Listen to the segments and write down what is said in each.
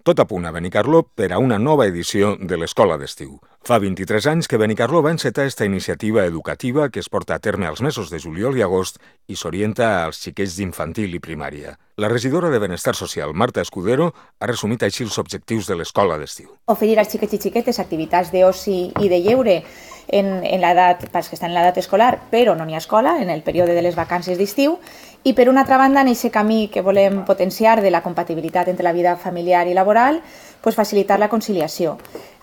Tot a punt a Benicarló per a una nova edició de l'Escola d'Estiu. Fa 23 anys que Benicarló va encetar esta iniciativa educativa que es porta a terme als mesos de juliol i agost i s'orienta als xiquets d'infantil i primària. La regidora de Benestar Social, Marta Escudero, ha resumit així els objectius de l'Escola d'Estiu. Oferir als xiquets i xiquetes activitats d'oci i de lleure en l'edat, pels que estan en l'edat escolar, però no n'hi ha escola, en el període de les vacances d'estiu, i per una altra banda, en aquest camí que volem potenciar de la compatibilitat entre la vida familiar i laboral, facilitar la conciliació,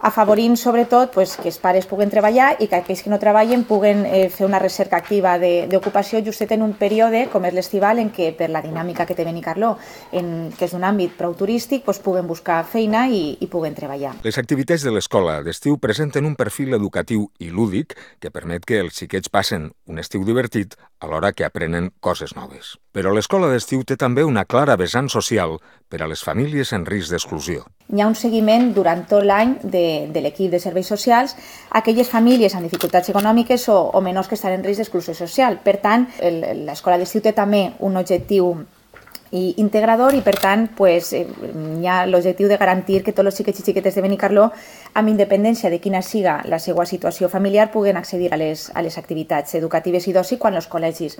afavorint sobretot que els pares puguen treballar i que aquells que no treballen puguen fer una recerca activa d'ocupació justet en un període com és l'estival en què per la dinàmica que té Benicarló, que és un àmbit prou turístic, puguen buscar feina i puguen treballar. Les activitats de l'escola d'estiu presenten un perfil educatiu i lúdic que permet que els xiquets passen un estiu divertit alhora que aprenen coses noves. Però l'escola d'estiu té també una clara vessant social per a les famílies en risc d'exclusió. Hi ha un seguiment durant tot l'any de l'equip de serveis socials a aquelles famílies amb dificultats econòmiques o menors que estan en risc d'exclusió social. Per tant, l'escola d'estiu té també un objectiu integrador i, per tant, hi ha l'objectiu de garantir que tots els xiquets i xiquetes de Benicarló, amb independència de quina siga la seva situació familiar, puguen accedir a les activitats educatives i d'oci quan els col·legis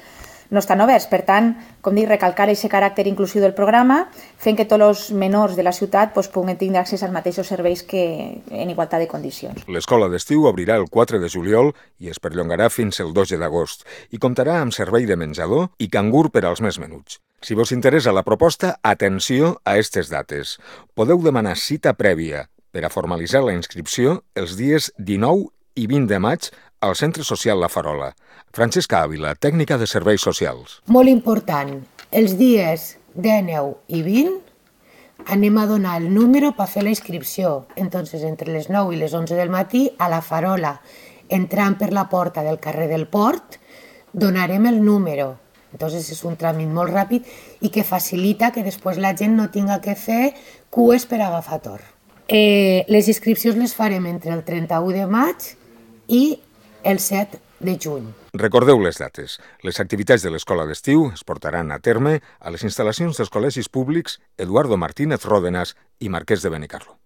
no estan oberts. Per tant, com dic, recalcar aquest caràcter inclusiu del programa, fent que tots els menors de la ciutat puguen tenir accés als mateixos serveis que en igualtat de condicions. L'escola d'estiu obrirà el 4 de juliol i es perllongarà fins el 12 d'agost i comptarà amb servei de menjador i cangur per als més menuts. Si vos interessa la proposta, atenció a aquestes dates. Podeu demanar cita prèvia per a formalitzar la inscripció els dies 19 i 20 de maig al Centre Social La Farola. Francesca Ávila, tècnica de serveis socials. Molt important, els dies 19 i 20 anem a donar el número per fer la inscripció. Entonces, entre les 9 i les 11 del matí, a La Farola, entrant per la porta del carrer del Port, donarem el número. Entonces és un tràmit molt ràpid i que facilita que després la gent no tinga que fer cues per agafar torn. Les inscripcions les farem entre el 31 de maig i el 7 de juny. Recordeu les dates. Les activitats de l'escola d'estiu es portaran a terme a les instal·lacions dels col·legis públics Eduardo Martínez Ródenas i Marquès de Benicarló.